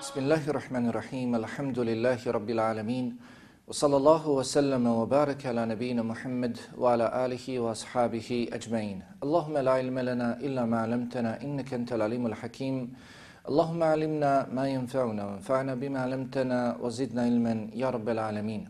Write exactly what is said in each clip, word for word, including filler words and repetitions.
Bismillahirrahmanirrahim. Alhamdulillahi rabbil alamin. Wa sallallahu wa sallama wa baraka ala nabiyyina Muhammad wa ala alihi wa ashabihi ajma'in. Allahumma la ilma lana illa ma 'allamtana innaka antal alimul hakim. Allahumma 'allimna ma yanfa'una wanfa'na bima 'allamtana wa zidna ilman ya rabbal alamin.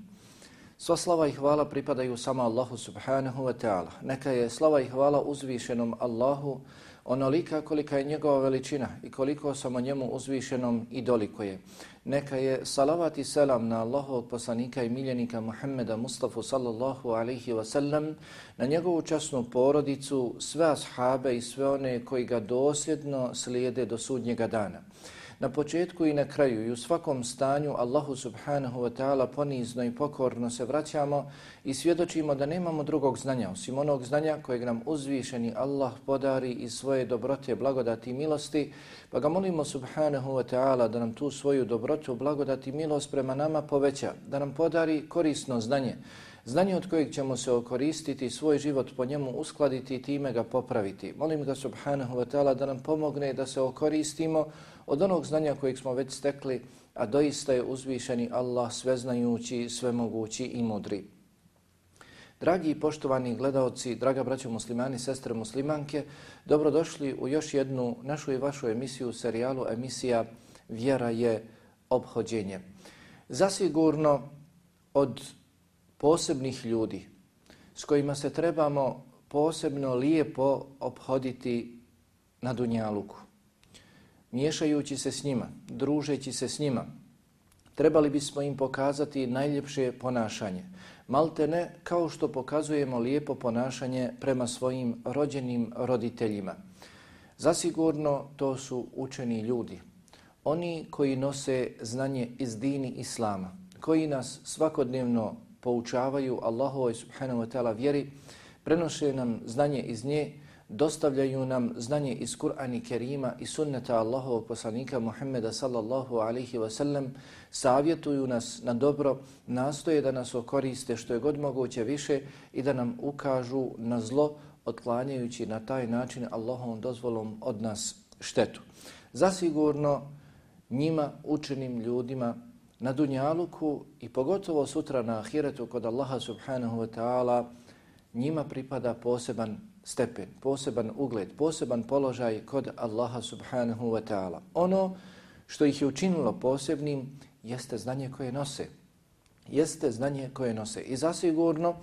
Sva slava i hvala pripadaju samo Allahu subhanahu wa ta'ala. Neka je slava i hvala uzvišenom Allahu onolika kolika je njegova veličina i koliko samo njemu uzvišenom i dolikuje. Neka je salavat i selam na Allahovog poslanika i miljenika Muhammeda Mustafa sallallahu alaihi wa sallam, na njegovu časnu porodicu, sve ashabe i sve one koji ga dosljedno slijede do sudnjega dana. Na početku i na kraju i u svakom stanju Allahu subhanahu wa ta'ala ponizno i pokorno se vraćamo i svjedočimo da nemamo drugog znanja osim onog znanja kojeg nam uzvišeni Allah podari iz svoje dobrote, blagodati i milosti, pa ga molimo subhanahu wa ta'ala da nam tu svoju dobrotu, blagodati i milost prema nama poveća, da nam podari korisno znanje, znanje od kojeg ćemo se okoristiti, svoj život po njemu uskladiti i time ga popraviti. Molim ga subhanahu wa ta'ala da nam pomogne da se okoristimo od onog znanja kojeg smo već stekli, a doista je uzvišeni Allah sveznajući, svemogući i mudri. Dragi i poštovani gledaoci, draga braćo muslimani, sestre muslimanke, dobrodošli u još jednu našu i vašu emisiju, serijalu emisija Vjera je ophođenje. Zasigurno od posebnih ljudi s kojima se trebamo posebno lijepo ophoditi na dunjaluku, miješajući se s njima, družeći se s njima, trebali bismo im pokazati najljepše ponašanje. Malte ne kao što pokazujemo lijepo ponašanje prema svojim rođenim roditeljima. Zasigurno to su učeni ljudi, oni koji nose znanje iz dini Islama, koji nas svakodnevno poučavaju Allahovoj subhanahu wa ta'ala vjeri, prenose nam znanje iz nje, dostavljaju nam znanje iz Kur'ana i Kerima i sunneta Allahovog poslanika Muhammeda sallallahu alaihi wa sallam, savjetuju nas na dobro, nastoje da nas okoriste što je god moguće više i da nam ukažu na zlo, otklanjajući na taj način Allahovom dozvolom od nas štetu. Zasigurno njima, učenim ljudima, na dunjaluku i pogotovo sutra na ahiretu kod Allaha subhanahu wa ta'ala, njima pripada poseban stepen, poseban ugled, poseban položaj kod Allaha subhanahu wa ta'ala. Ono što ih je učinilo posebnim jeste znanje koje nose. Jeste znanje koje nose. I zasigurno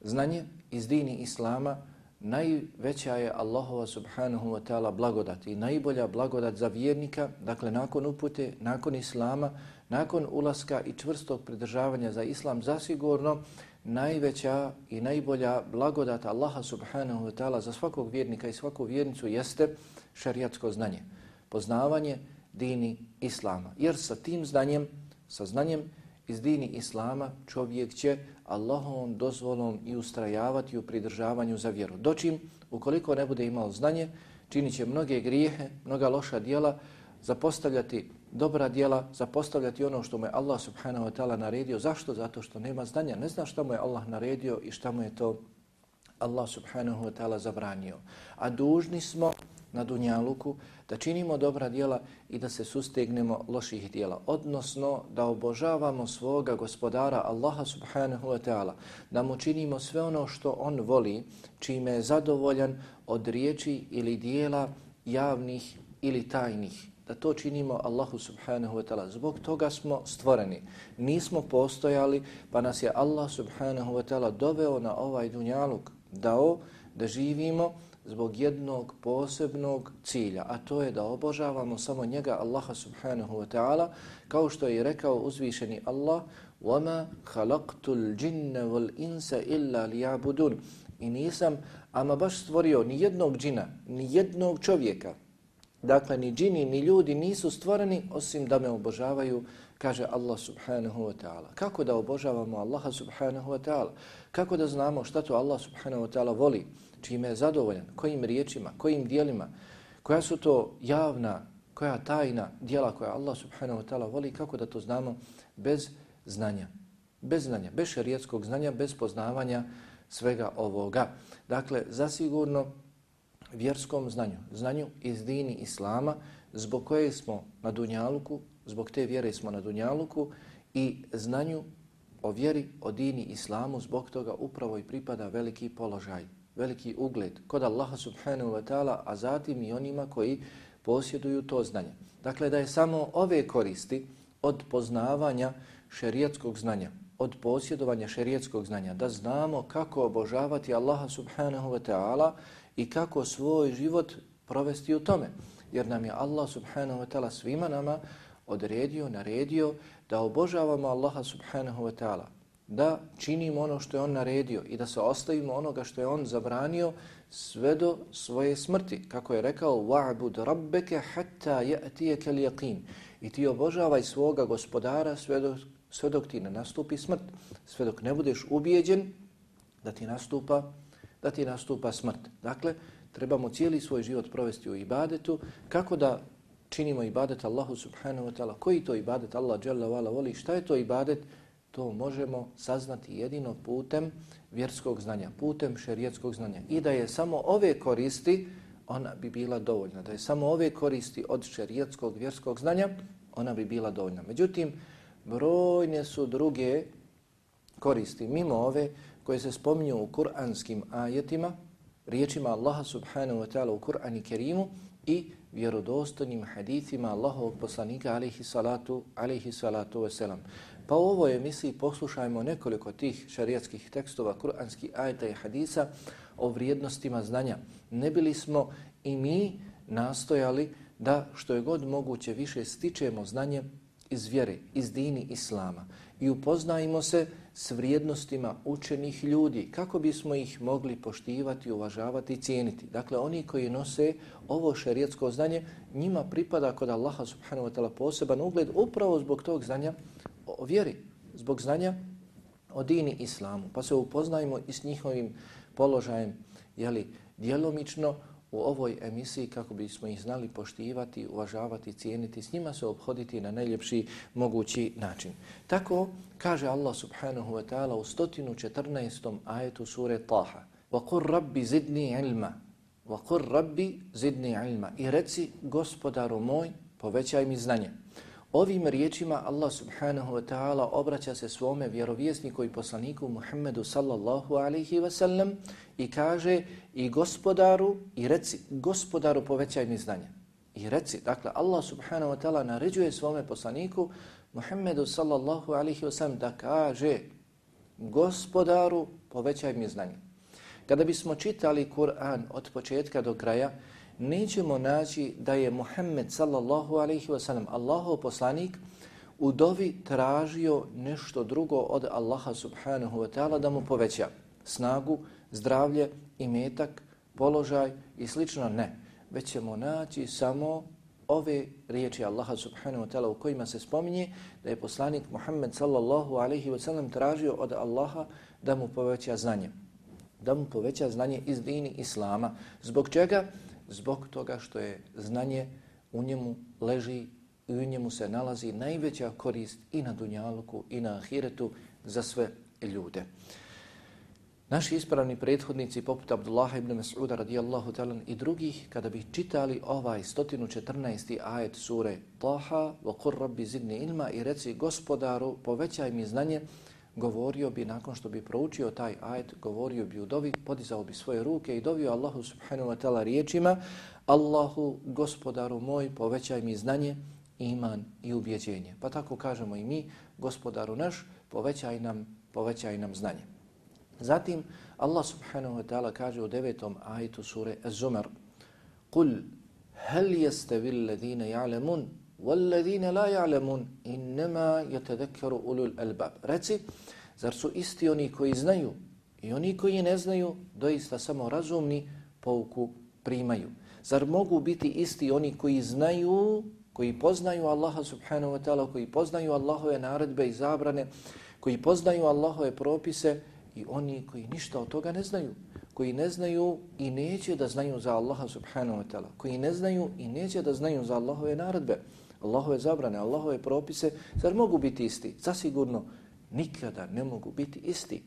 znanje iz dini Islama najveća je Allahova subhanahu wa ta'ala blagodat i najbolja blagodat za vjernika, dakle nakon upute, nakon Islama, nakon ulaska i čvrstog pridržavanja za Islam, zasigurno najveća i najbolja blagodat Allaha subhanahu wa ta'ala za svakog vjernika i svaku vjernicu jeste šerijatsko znanje, poznavanje dini Islama. Jer sa tim znanjem, sa znanjem iz dini Islama čovjek će Allahovom dozvolom i ustrajavati u pridržavanju za vjeru. Dočim, ukoliko ne bude imao znanje, činit će mnoge grijehe, mnoga loša djela, zapostavljati dobra djela, zapostavljati ono što mu je Allah subhanahu wa ta'ala naredio. Zašto? Zato što nema znanja. Ne zna šta mu je Allah naredio i šta mu je to Allah subhanahu wa ta'ala zabranio. A dužni smo na dunjaluku da činimo dobra djela i da se sustegnemo loših djela. Odnosno da obožavamo svoga gospodara Allaha subhanahu wa ta'ala. Da mu činimo sve ono što on voli, čime je zadovoljan od riječi ili djela javnih ili tajnih. Da to činimo Allahu subhanahu wa ta'ala. Zbog toga smo stvoreni. Nismo postojali, pa nas je Allah subhanahu wa ta'ala doveo na ovaj dunjaluk, dao da živimo zbog jednog posebnog cilja, a to je da obožavamo samo njega, Allaha subhanahu wa ta'ala, kao što je rekao uzvišeni Allah: وَمَا خَلَقْتُ الْجِنَّ وَالْإِنسَ إِلَّا لِيَعْبُدُونَ. I nisam ama baš stvorio ni jednog džina, ni jednog čovjeka. Dakle, ni džini, ni ljudi nisu stvoreni osim da me obožavaju, kaže Allah subhanahu wa ta'ala. Kako da obožavamo Allaha subhanahu wa ta'ala? Kako da znamo šta to Allah subhanahu wa ta'ala voli, čime je zadovoljan, kojim riječima, kojim dijelima, koja su to javna, koja tajna dijela koja Allah subhanahu wa ta'ala voli, kako da to znamo bez znanja, bez znanja, bez šerijatskog znanja, bez poznavanja svega ovoga. Dakle, zasigurno vjerskom znanju, znanju iz dini Islama, zbog koje smo na dunjaluku zbog te vjere smo na dunjaluku i znanju o vjeri, o dini islamu, zbog toga upravo i pripada veliki položaj, veliki ugled kod Allaha subhanahu wa ta'ala, a zatim i onima koji posjeduju to znanje. Dakle, da je samo ove koristi od poznavanja šerijatskog znanja, od posjedovanja šerijatskog znanja, da znamo kako obožavati Allaha subhanahu wa ta'ala i kako svoj život provesti u tome. Jer nam je Allah subhanahu wa ta'ala svima nama odredio, naredio da obožavamo Allaha subhanahu wa ta'ala, da činimo ono što je on naredio i da se ostavimo onoga što je on zabranio sve do svoje smrti. Kako je rekao, wa'bud rabbeke hatta ya'tiyaka al-yaqin. I ti obožavaj svoga gospodara sve dok, sve dok ti ne nastupi smrt, sve dok ne budeš ubijeđen da ti nastupa, da ti nastupa smrt. Dakle, trebamo cijeli svoj život provesti u ibadetu. Kako da činimo ibadet Allahu subhanahu wa ta'ala? Koji to ibadet Allah dželle ve ala voli? Šta je to ibadet? To možemo saznati jedino putem vjerskog znanja, putem šerijatskog znanja. I da je samo ove koristi, ona bi bila dovoljna. Da je samo ove koristi od šerijatskog vjerskog znanja, ona bi bila dovoljna. Međutim, brojne su druge koristi mimo ove koje se spominju u kuranskim ajetima, riječima Allaha subhanahu wa ta'ala u Kur'anu Kerimu i vjerodostojnim hadithima Allahovog poslanika alejhi salatu alejhi salatu vesselam. Pa u ovoj emisiji poslušajmo nekoliko tih šarijatskih tekstova, kuranskih ajeta i hadisa o vrijednostima znanja. Ne bili smo i mi nastojali da što je god moguće više stičemo znanje iz vjere, iz dini islama i upoznajmo se s vrijednostima učenih ljudi kako bismo ih mogli poštivati, uvažavati i cijeniti. Dakle, oni koji nose ovo šerijatsko znanje, njima pripada kod Allaha subhanahu wa ta'ala poseban ugled upravo zbog tog znanja o vjeri, zbog znanja o dini islamu. Pa se upoznajmo i s njihovim položajem, jeli, djelomično u ovoj emisiji kako bismo ih znali poštivati, uvažavati, cijeniti, s njima se obhoditi na najljepši mogući način. Tako kaže Allah subhanahu wa ta'ala u sto četrnaestom ajetu sure Taha: وَقُلْ رَبِّ زِدْنِي عِلْمًا وَقُلْ رَبِّ زِدْنِي عِلْمًا. I reci, gospodaru moj, povećaj mi znanje. Ovim riječima Allah subhanahu wa ta'ala obraća se svome vjerovjesniku i poslaniku Muhammedu sallallahu alaihi wa sallam i kaže: i gospodaru, i reci, gospodaru povećaj mi znanje. I reci, dakle Allah subhanahu wa ta'ala naređuje svome poslaniku Muhammedu sallallahu alaihi wa sallam da kaže: gospodaru povećaj mi znanje. Kada bismo čitali Kur'an od početka do kraja, nećemo naći da je Muhammed sallallahu alaihi wa sallam, Allahov poslanik, u dovi tražio nešto drugo od Allaha subhanahu wa ta'ala da mu poveća snagu, zdravlje, imetak, položaj i slično. Ne, već ćemo naći samo ove riječi Allaha subhanahu wa ta'ala u kojima se spominje da je poslanik Muhammed sallallahu alaihi wa sallam tražio od Allaha da mu poveća znanje. Da mu poveća znanje iz dini islama. Zbog čega? Zbog toga što je znanje u njemu leži i u njemu se nalazi najveća korist i na dunjaluku i na ahiretu za sve ljude. Naši ispravni prethodnici poput Abdullaha ibn Mas'uda radijallahu ta'ala i drugih, kada bi čitali ovaj sto četrnaesti ajet sure Taha: وَقُلْ رَبِّ زِدْنِي عِلْمًا, i reci, gospodaru povećaj mi znanje, govorio bi, nakon što bi proučio taj ajet, govorio bi u dovi, podizao bi svoje ruke i dovio Allahu subhanahu wa ta'ala riječima: Allahu, gospodaru moj, povećaj mi znanje, iman i ubjeđenje. Pa tako kažemo i mi: gospodaru naš, povećaj nam, povećaj nam znanje. Zatim Allah subhanahu wa ta'ala kaže u devetom ajetu sure Az-Zumar: قُلْ هَلْ يَسْتَوِي الَّذِينَ يَعْلَمُونَ وَالَّذِينَ لَا يَعْلَمُونَ إِنَّمَا يَتَذَكَّرُ أُولُو الْأَلْبَابِ. Reci, zar su isti oni koji znaju i oni koji ne znaju, doista samo razumni pouku primaju? Zar mogu biti isti oni koji znaju, koji poznaju Allaha subhanahu wa ta'ala, koji poznaju Allahove naredbe i zabrane, koji poznaju Allahove propise, i oni koji ništa od toga ne znaju, koji ne znaju i neće da znaju za Allaha subhanahu wa ta'ala, koji ne znaju i neće da znaju za Allahove naredbe, Allahove zabrane, Allahove propise, zar mogu biti isti? Zasigurno nikada ne mogu biti isti.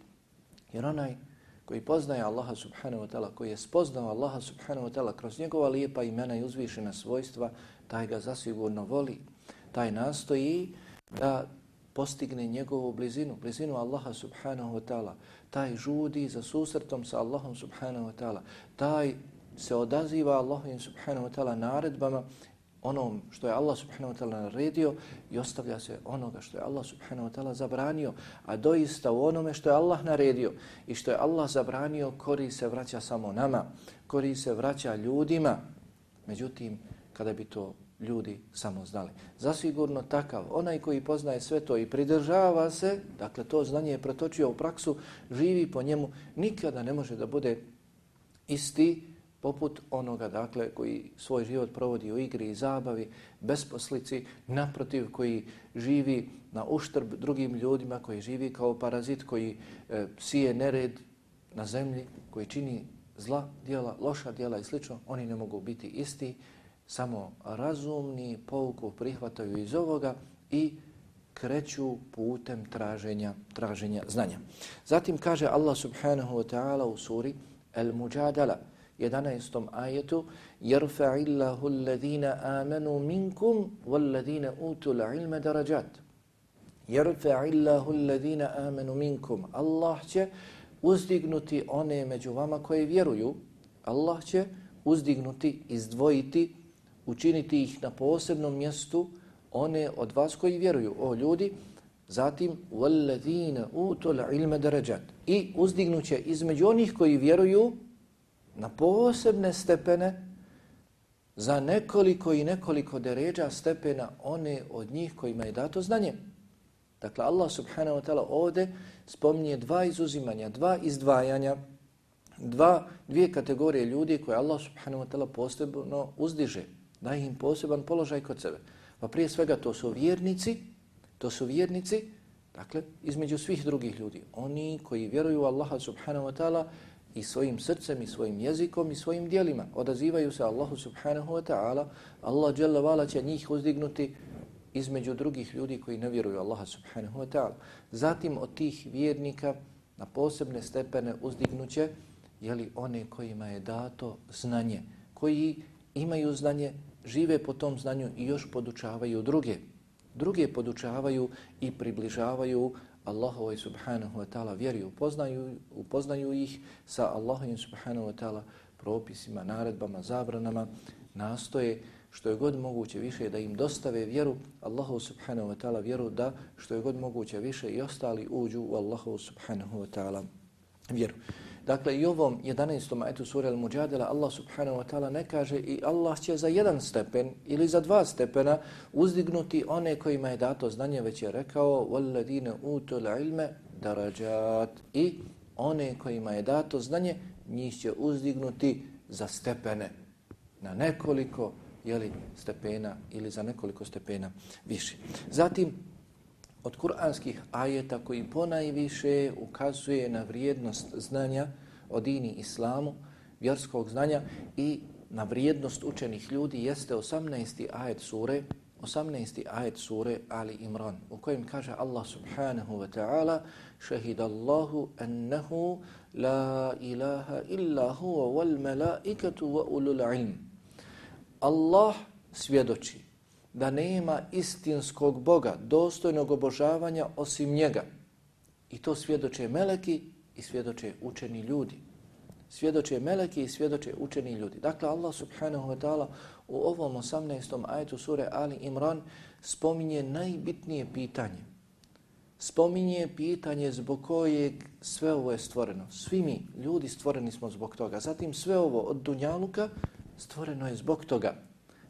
Jer onaj koji poznaje Allaha subhanahu wa ta'ala, koji je spoznao Allaha subhanahu wa ta'ala kroz njegova lijepa imena i uzvišena svojstva, taj ga zasigurno voli. taj nastoji da postigne njegovu blizinu, blizinu Allaha subhanahu wa ta'ala. Taj žudi za susretom sa Allahom subhanahu wa ta'ala. Taj se odaziva Allahovim subhanahu wa ta'ala naredbama, onom što je Allah subhanahu wa ta'ala naredio i ostavlja se onoga što je Allah subhanahu wa ta'ala zabranio. A doista u onome što je Allah naredio i što je Allah zabranio, korist se vraća samo nama, korist se vraća ljudima. Međutim, kada bi to ljudi samo znali. Zasigurno takav, onaj koji poznaje sve to i pridržava se, dakle to znanje je pretočio u praksu, živi po njemu, nikada ne može da bude isti poput onoga, dakle, koji svoj život provodi u igri i zabavi, besposlici, naprotiv, koji živi na uštrb drugim ljudima, koji živi kao parazit, koji e, sije nered na zemlji, koji čini zla djela, loša djela i slično, oni ne mogu biti isti. Samo razumni pouku prihvataju iz ovoga i kreću putem traženja, traženja znanja. Zatim kaže Allah subhanahu wa ta'ala u suri Al-Mujadala, jedanaestom ajetu: يَرْفَعِ اللَّهُ الَّذِينَ آمَنُوا مِنْكُمْ وَالَّذِينَ أُوتُوا الْعِلْمَ دَرَجَاتٍ. يَرْفَعِ اللَّهُ الَّذِينَ آمَنُوا مِنْكُمْ. Allah će uzdignuti one među vama koji vjeruju. Allah će uzdignuti, izdvojiti, učiniti ih na posebnom mjestu, one od vas koji vjeruju, o ljudi. Zatim وَالَّذِينَ أُوتُوا الْعِلْمَ دَرَجَاتٍ. I uzdignuće između onih koji vjeruju na posebne stepene, za nekoliko i nekoliko deređa stepena, one od njih kojima je dato znanje. Dakle, Allah subhanahu wa ta'ala ovdje spominje dva izuzimanja, dva izdvajanja, dva, dvije kategorije ljudi koje Allah subhanahu wa ta'ala posebno uzdiže, daje im poseban položaj kod sebe. Pa prije svega to su vjernici, to su vjernici, dakle, između svih drugih ljudi. Oni koji vjeruju Allaha subhanahu wa ta'ala i svojim srcem, i svojim jezikom, i svojim dijelima. Odazivaju se Allahu subhanahu wa ta'ala. Allah dželle vala će njih uzdignuti između drugih ljudi koji ne vjeruju Allaha subhanahu wa ta'ala. Zatim od tih vjernika na posebne stepene uzdignuće, jeli, one kojima je dato znanje, koji imaju znanje, žive po tom znanju i još podučavaju druge. Druge podučavaju i približavaju Allahovoj subhanahu wa ta'ala vjeri, upoznaju, upoznaju ih sa Allahovim subhanahu wa ta'ala propisima, naredbama, zabranama, nastoje što je god moguće više da im dostave vjeru, Allahu subhanahu wa ta'ala vjeru, da što je god moguće više i ostali uđu u Allahu subhanahu wa ta'ala vjeru. Dakle, i ovom jedanaestom ajetu sura Al-Mujadala Allah subhanahu wa ta'ala ne kaže i Allah će za jedan stepen ili za dva stepena uzdignuti one kojima je dato znanje, već je rekao وَالَّذِينَ أُوتُوا الْعِلْمَ دَرَجَاتٍ. I one kojima je dato znanje, njih će uzdignuti za stepene, na nekoliko, jeli, stepena ili za nekoliko stepena više. Zatim, od kuranskih ajeta koji ponajviše ukazuje na vrijednost znanja o dini islamu, vjerskog znanja i na vrijednost učenih ljudi jeste osamnaesti ajet sure, osamnaesti ajet sure Ali Imran, u kojem kaže Allah subhanahu wa ta'ala: Šehidallahu annahu la ilaha illa huwa wal malaikatu wa ulul ilm. Allah svjedoči da nema istinskog Boga, dostojnog obožavanja osim njega. I to svjedoče meleki i svjedoče učeni ljudi. Svjedoče meleki i svjedoče učeni ljudi. Dakle, Allah subhanahu wa ta'ala u ovom osamnaestom ajetu sure Ali Imran spominje najbitnije pitanje. Spominje pitanje zbog kojeg sve ovo je stvoreno. Svi mi, ljudi, stvoreni smo zbog toga. Zatim sve ovo od dunjaluka stvoreno je zbog toga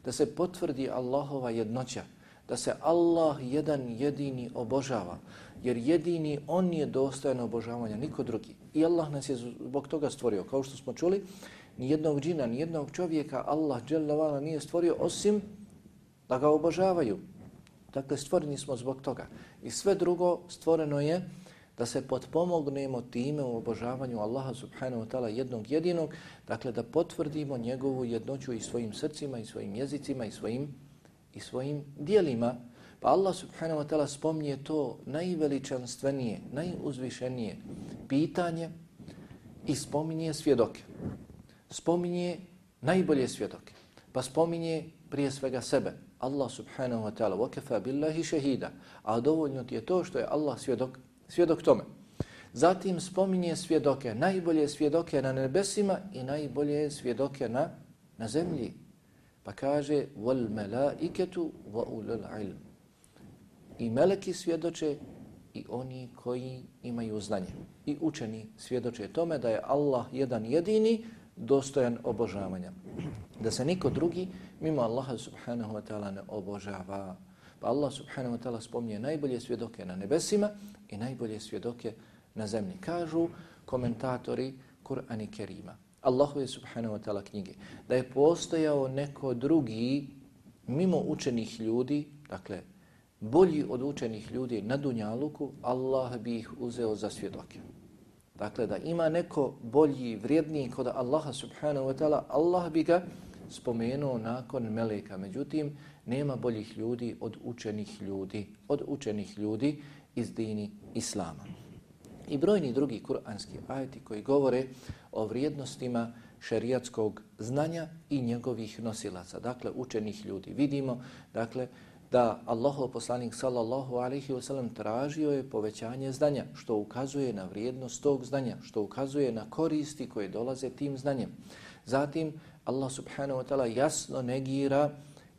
da se potvrdi Allahova jednoća, da se Allah jedan jedini obožava, jer jedini on je dostojan obožavanja, niko drugi. I Allah nas je zbog toga stvorio. Kao što smo čuli, ni jednog džina, ni jednog čovjeka Allah dželle vala nije stvorio osim da ga obožavaju. Dakle, stvoreni smo zbog toga. I sve drugo stvoreno je da se potpomognemo time u obožavanju Allaha subhanahu wa ta'ala jednog jedinog, dakle da potvrdimo njegovu jednoću i svojim srcima, i svojim jezicima, i svojim, i svojim dijelima. Pa Allah subhanahu wa ta'ala spominje to najveličanstvenije, najuzvišenije pitanje i spominje svjedoke. Spominje najbolje svjedoke. Pa spominje prije svega sebe, Allah subhanahu wa ta'ala, وَكَفَى بِاللَّهِ شَهِيدًا, a dovoljno ti je to što je Allah svjedok, svjedok tome. Zatim spominje svjedoke, najbolje svjedoke na nebesima i najbolje svjedoke na, na zemlji. Pa kaže وَالْمَلَائِكَةُ وَأُولُو الْعِلْمِ, i meleki svjedoče i oni koji imaju znanje. I učeni svjedoče tome da je Allah jedan jedini dostojan obožavanja. Da se niko drugi mimo Allaha subhanahu wa ta'ala ne obožava. Pa Allah subhanahu wa ta'ala spominje najbolje svjedoke na nebesima i najbolje svjedoke na zemlji. Kažu komentatori Kur'ana Kerima, Allahove subhanahu wa ta'ala knjige, da je postojao neko drugi mimo učenih ljudi, dakle bolji od učenih ljudi na dunjaluku, Allah bi ih uzeo za svjedoke. Dakle, da ima neko bolji, vrijedniji kod Allaha subhanahu wa ta'ala, Allah bi ga spomenuo nakon meleka. Međutim, nema boljih ljudi od učenih ljudi, od učenih ljudi iz dini Islama. I brojni drugi kuranski ajeti koji govore o vrijednostima šerijatskog znanja i njegovih nosilaca, dakle učenih ljudi. Vidimo, dakle, da Allahov poslanik sallallahu alejhi ve sellem tražio je povećanje znanja, što ukazuje na vrijednost tog znanja, što ukazuje na koristi koje dolaze tim znanjem. Zatim Allah subhanahu wa ta'ala jasno negira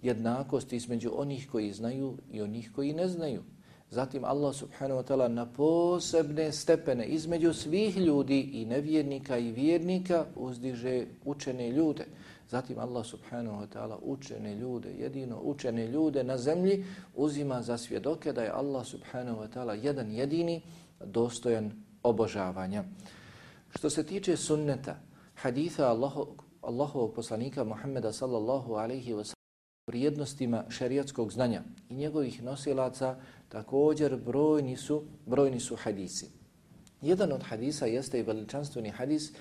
jednakost između onih koji znaju i onih koji ne znaju. Zatim Allah subhanahu wa ta'ala na posebne stepene između svih ljudi i nevjernika i vjernika uzdiže učene ljude. Zatim Allah subhanahu wa ta'ala učene ljude, jedino učene ljude na zemlji uzima za svjedoke da je Allah subhanahu wa ta'ala jedan jedini dostojan obožavanja. Što se tiče sunneta, haditha Allaho, Allahovog poslanika Muhammeda sallallahu alaihi wa sallam, vrijednostima šerijatskog znanja i njegovih nosilaca, također brojni su, brojni su hadisi. Jedan od hadisa jeste i veličanstveni hadis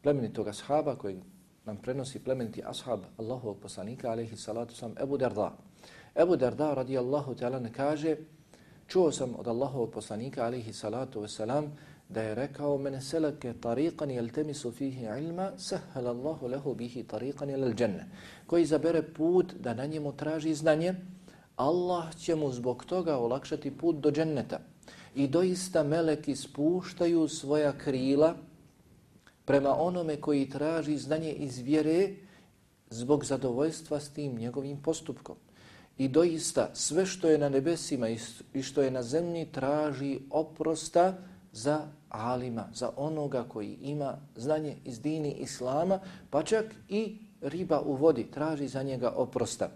plemenitog ashaba kojeg nam prenosi plemeniti ashab Allahovog poslanika alejhi salatu vesselam Ebu Darda. Ebu Darda radijallahu ta'ala ne kaže, čuo sam od Allahovog poslanika alejhi salatu vesselam da je rekao: "Men selake tariqan yaltamisu fihi ilma, sahhala Allahu lahu bihi tariqan ila al-janna." Koji izabere put da na njemu traži znanje, Allah će mu zbog toga olakšati put do dženneta. I doista meleki spuštaju svoja krila prema onome koji traži znanje iz vjere zbog zadovoljstva s tim njegovim postupkom. I doista sve što je na nebesima i što je na zemlji traži oprosta za alima, za onoga koji ima znanje iz dini Islama, pa čak i riba u vodi traži za njega oprosta.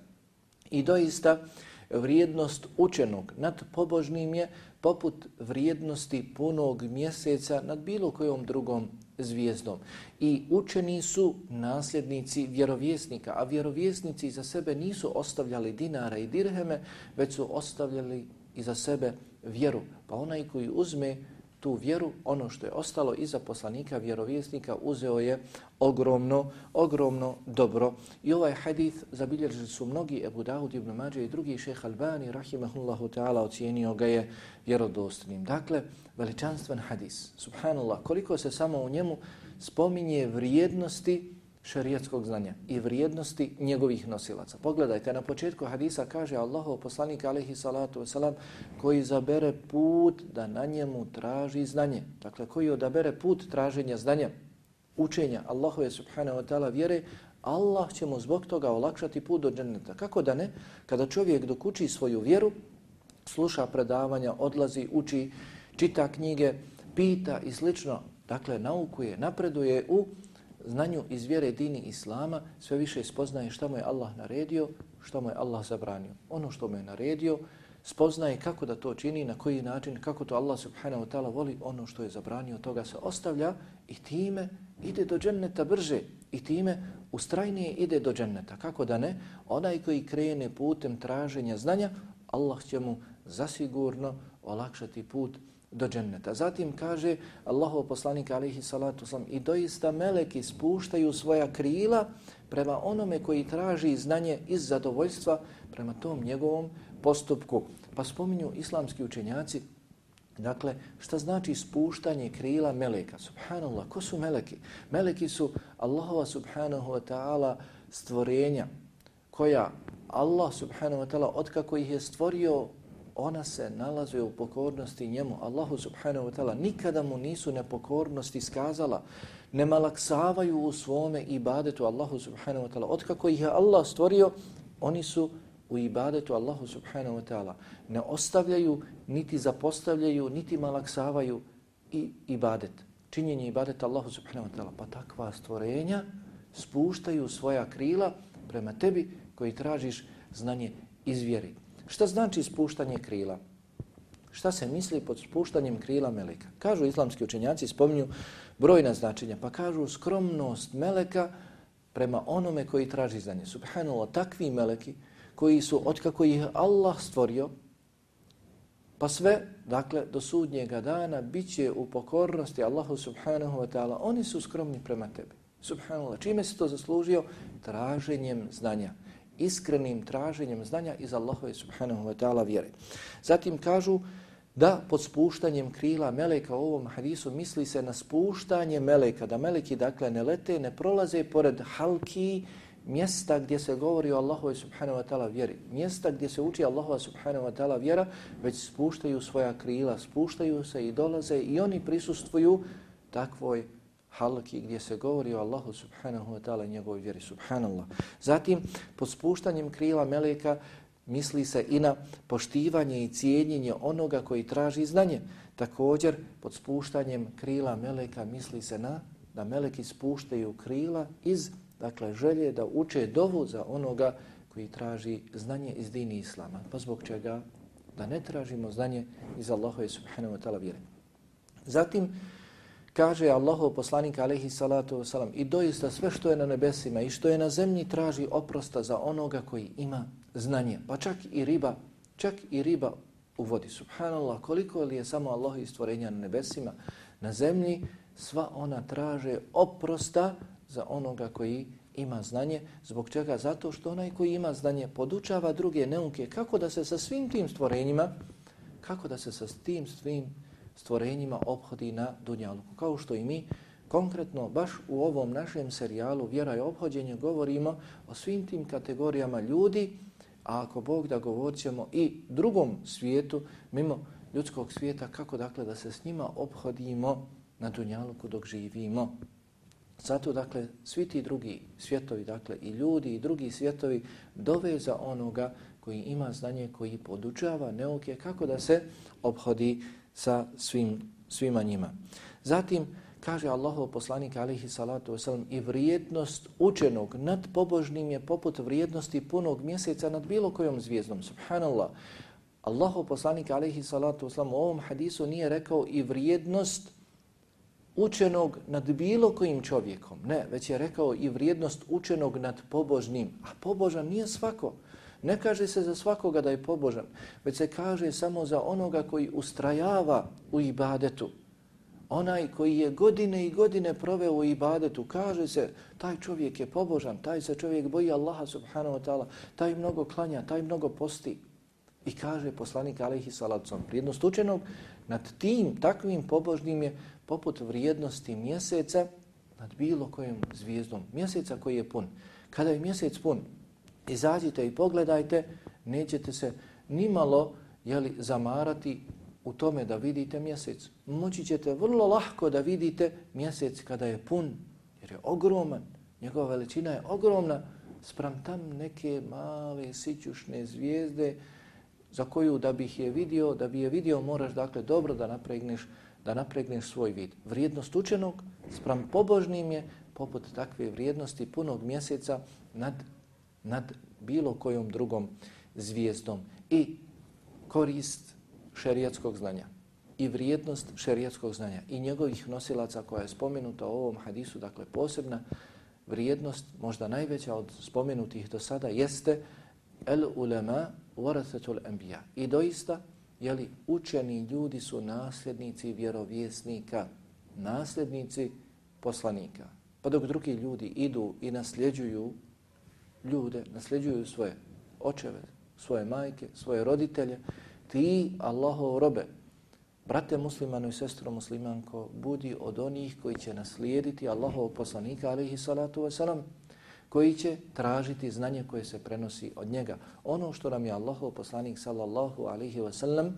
I doista vrijednost učenog nad pobožnim je poput vrijednosti punog mjeseca nad bilo kojom drugom zvijezdom. I učeni su nasljednici vjerovjesnika, a vjerovjesnici za sebe nisu ostavljali dinara i dirheme, već su ostavljali iza sebe vjeru. Pa onaj koji uzme tu vjeru, ono što je ostalo iza poslanika vjerovjesnika, uzeo je ogromno, ogromno dobro. I ovaj hadith zabilježili su mnogi, Ebu Daud ibn Mađe i drugi, šejh Albani rahimahullahu ta'ala ocijenio ga je vjerodostojnim. Dakle, veličanstven hadis. Subhanallah, koliko se samo u njemu spominje vrijednosti šerijatskog znanja i vrijednosti njegovih nosilaca. Pogledajte, na početku hadisa kaže Allahov poslanik alejhi salatu vesselam koji izabere put da na njemu traži znanje. Dakle, koji odabere put traženja znanja, učenja Allahove subhanahu wa ta'ala vjere, Allah će mu zbog toga olakšati put do dženneta. Kako da ne? Kada čovjek dok uči svoju vjeru, sluša predavanja, odlazi, uči, čita knjige, pita i slično, dakle, naukuje, napreduje u znanju iz vjere dini Islama, sve više spoznaje šta mu je Allah naredio, šta mu je Allah zabranio. Ono što mu je naredio, spoznaje kako da to čini, na koji način, kako to Allah subhanahu wa ta'ala voli, ono što je zabranio, toga se ostavlja i time ide do dženneta brže i time ustrajnije ide do dženneta. Kako da ne? Onaj koji krene putem traženja znanja, Allah će mu zasigurno olakšati put do dženneta. Zatim kaže Allahov poslanik alejhi salatu vesselam i doista meleki spuštaju svoja krila prema onome koji traži znanje iz zadovoljstva prema tom njegovom postupku. Pa spominju islamski učenjaci, dakle, šta znači spuštanje krila meleka? Subhanallah, ko su meleki? Meleki su Allahova subhanahu wa ta'ala stvorenja koja Allah subhanahu wa ta'ala otkako ih je stvorio, ona se nalaze u pokornosti njemu. Allahu subhanahu wa ta'ala nikada mu nisu nepokornosti iskazala, ne malaksavaju u svome ibadetu Allahu subhanahu wa ta'ala. Otkako ih je Allah stvorio, oni su u ibadetu Allahu subhanahu wa ta'ala. Ne ostavljaju, niti zapostavljaju, niti malaksavaju i ibadet. Činjenje ibadeta Allahu subhanahu wa ta'ala. Pa takva stvorenja spuštaju svoja krila prema tebi koji tražiš znanje iz vjeri. Šta znači spuštanje krila? Šta se misli pod spuštanjem krila meleka? Kažu islamski učenjaci, spominju brojna značenja, pa kažu skromnost meleka prema onome koji traži znanje. Subhanallah, takvi meleki koji su, otkako ih Allah stvorio, pa sve, dakle, do sudnjega dana bit će u pokornosti Allahu subhanahu wa ta'ala. Oni su skromni prema tebi. Subhanallah, čime se to zaslužio? Traženjem znanja. Iskrenim traženjem znanja iz Allahove subhanahu wa ta'ala vjere. Zatim kažu da pod spuštanjem krila meleka u ovom hadisu misli se na spuštanje meleka, da meleki dakle ne lete, ne prolaze pored halki, mjesta gdje se govori o Allahove subhanahu wa ta'ala vjeri, mjesta gdje se uči Allahova subhanahu wa ta'ala vjera, već spuštaju svoja krila, spuštaju se i dolaze i oni prisustvuju takvoj halki gdje se govori o Allahu subhanahu wa ta'ala i njegovoj vjeri, subhanallah. Zatim, pod spuštanjem krila meleka misli se i na poštivanje i cijenjenje onoga koji traži znanje. Također, pod spuštanjem krila meleka misli se na da meleki spuštaju krila iz, dakle, želje da uče dovu za onoga koji traži znanje iz dini Islama. Pa zbog čega? Da ne tražimo znanje iz Allahove subhanahu wa ta'ala vjere. Zatim, kaže Allahov poslanik alejhi salatu vesselam, i doista sve što je na nebesima i što je na zemlji traži oprosta za onoga koji ima znanje. Pa čak i riba, čak i riba u vodi. Subhanallah, koliko li je samo Allahovi stvorenja na nebesima, na zemlji, sva ona traže oprosta za onoga koji ima znanje. Zbog čega? Zato što onaj koji ima znanje podučava druge neuke kako da se sa svim tim stvorenjima, kako da se sa tim svim stvorenjima ophodi na dunjaluku. Kao što i mi konkretno baš u ovom našem serijalu Vjera i ophođenje govorimo o svim tim kategorijama ljudi, a ako Bog da govorit ćemo i drugom svijetu, mimo ljudskog svijeta, kako dakle da se s njima ophodimo na dunjaluku dok živimo. Zato dakle svi ti drugi svjetovi, dakle i ljudi i drugi svjetovi dove za onoga koji ima znanje, koji podučava neuke kako da se ophodi sa svim, svima njima. Zatim kaže Allahov poslanik alejhi salatu vesselam, i vrijednost učenog nad pobožnim je poput vrijednosti punog mjeseca nad bilo kojom zvijezdom. Subhanallah. Allahov poslanik alejhi salatu vesselam u ovom hadisu nije rekao i vrijednost učenog nad bilo kojim čovjekom. Ne, već je rekao i vrijednost učenog nad pobožnim. A pobožan nije svako. Ne kaže se za svakoga da je pobožan, već se kaže samo za onoga koji ustrajava u ibadetu. Onaj koji je godine i godine proveo u ibadetu, kaže se taj čovjek je pobožan, taj se čovjek boji Allaha subhanahu wa ta'ala, taj mnogo klanja, taj mnogo posti. I kaže poslanik alejhi salatu vesselam, vrijednost učenog nad tim takvim pobožnim je poput vrijednosti mjeseca nad bilo kojom zvijezdom. Mjeseca koji je pun. Kada je mjesec pun, izađite i pogledajte, nećete se nimalo jeli, zamarati u tome da vidite mjesec. Moći ćete vrlo lahko da vidite mjesec kada je pun, jer je ogroman, njegova veličina je ogromna, spram tam neke male sićušne zvijezde za koju da bih je vidio, da bi je vidio moraš dakle dobro da napregneš, da napregneš svoj vid. Vrijednost učenog spram pobožnim je poput takve vrijednosti punog mjeseca nad nad bilo kojom drugom zvijezdom. I korist šerijatskog znanja i vrijednost šerijatskog znanja i njegovih nosilaca koja je spomenuta u ovom hadisu, dakle posebna vrijednost, možda najveća od spomenutih do sada, jeste el ulema warathatul anbiya. I doista, jeli, učeni ljudi su nasljednici vjerovjesnika, nasljednici poslanika. Pa dok drugi ljudi idu i nasljeđuju ljude, nasljeđuju svoje očeve, svoje majke, svoje roditelje, ti, Allahov robe, brate muslimano i sestro muslimanko, budi od onih koji će naslijediti Allahov poslanika, alejhi salatu vesselam, koji će tražiti znanje koje se prenosi od njega. Ono što nam je Allahov poslanik sallallahu alaihi wa sallam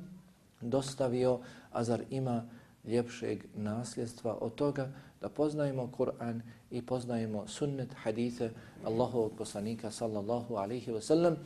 dostavio, a zar ima ljepšeg nasljedstva od toga da poznajemo Kur'an i poznajemo sunnet, hadise Allahovog poslanika sallallahu alaihi wa sallam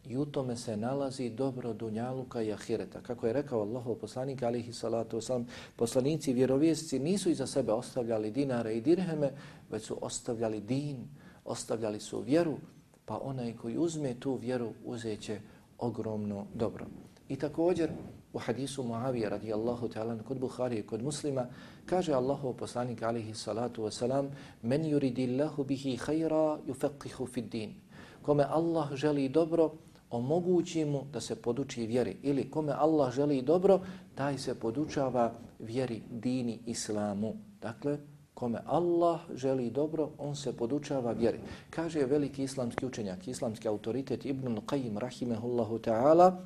i u tome se nalazi dobro dunjaluka i ahireta. Kako je rekao Allahov poslanik alaihi salatu wa sallam, poslanici vjerovjesci nisu iza sebe ostavljali dinare i dirheme, već su ostavljali din, ostavljali su vjeru, pa onaj koji uzme tu vjeru uzeće ogromno dobro. I također u hadisu Muavije radijallahu ta'ala kod Buharije, kod Muslima, kaže Allahov poslanik alaihi salatu wasalam, men yuridillahu bihi khayra yufaqihu fid din. Kome Allah želi dobro, omogući mu da se poduči vjeri. Ili kome Allah želi dobro, taj se podučava vjeri, dini, islamu. Dakle, kome Allah želi dobro, on se podučava vjeri. Kaže veliki islamski učenjak, islamski autoritet Ibn Qayyim rahimehullahu ta'ala,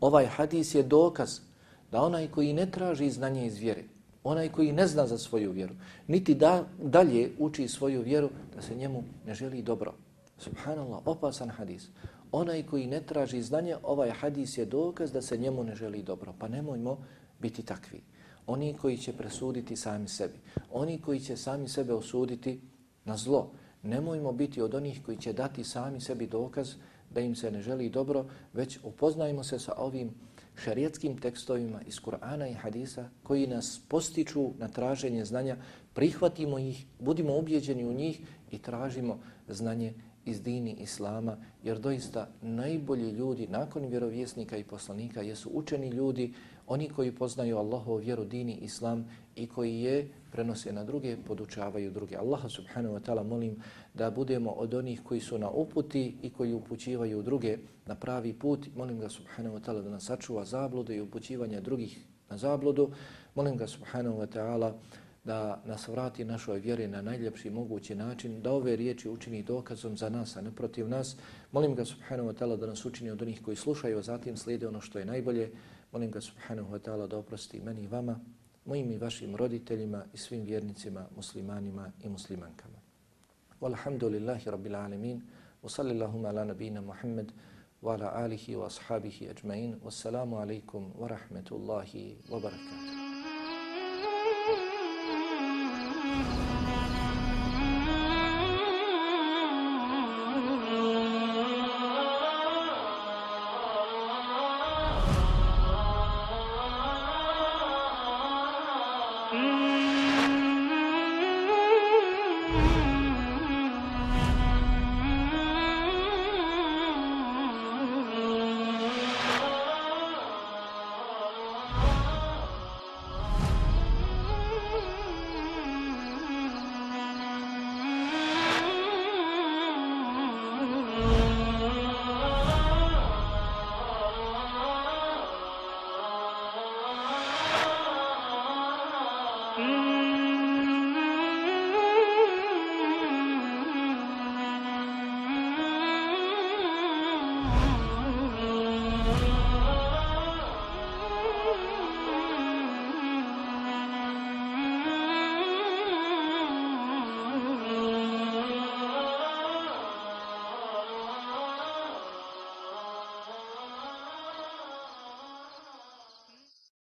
ovaj hadis je dokaz da onaj koji ne traži znanje iz vjere, onaj koji ne zna za svoju vjeru, niti da dalje uči svoju vjeru, da se njemu ne želi dobro. Subhanallah, opasan hadis. Onaj koji ne traži znanje, ovaj hadis je dokaz da se njemu ne želi dobro. Pa nemojmo biti takvi. Oni koji će presuditi sami sebi, oni koji će sami sebe osuditi na zlo. Nemojmo biti od onih koji će dati sami sebi dokaz da im se ne želi dobro, već upoznajmo se sa ovim šerijetskim tekstovima iz Kur'ana i hadisa koji nas postiču na traženje znanja, prihvatimo ih, budimo ubjeđeni u njih i tražimo znanje iz dini Islama, jer doista najbolji ljudi nakon vjerovjesnika i poslanika jesu učeni ljudi, oni koji poznaju Allahovu vjeru, dini Islam i koji je prenose na druge, podučavaju druge. Allaha subhanahu wa ta'ala molim da budemo od onih koji su na uputi i koji upućivaju druge na pravi put. Molim ga subhanahu wa ta'ala da nas sačuva zablude i upućivanja drugih na zabludu. Molim ga subhanahu wa ta'ala da nas vrati našoj vjeri na najljepši mogući način, da ove riječi učini dokazom za nas, a ne protiv nas. Molim ga subhanahu wa ta'ala da nas učini od onih koji slušaju, a zatim slijede ono što je najbolje. Molim ga subhanahu wa ta'ala da oprosti meni i vama, mojim i vašim roditeljima i svim vjernicima, muslimanima i muslimankama. Walhamdulillahi rabbil alamin, wa sallallahu ala nabina Muhammad, wa ala alihi wa ashabihi ajma'in, wassalamu alaikum wa rahmetullahi wa barakatuh.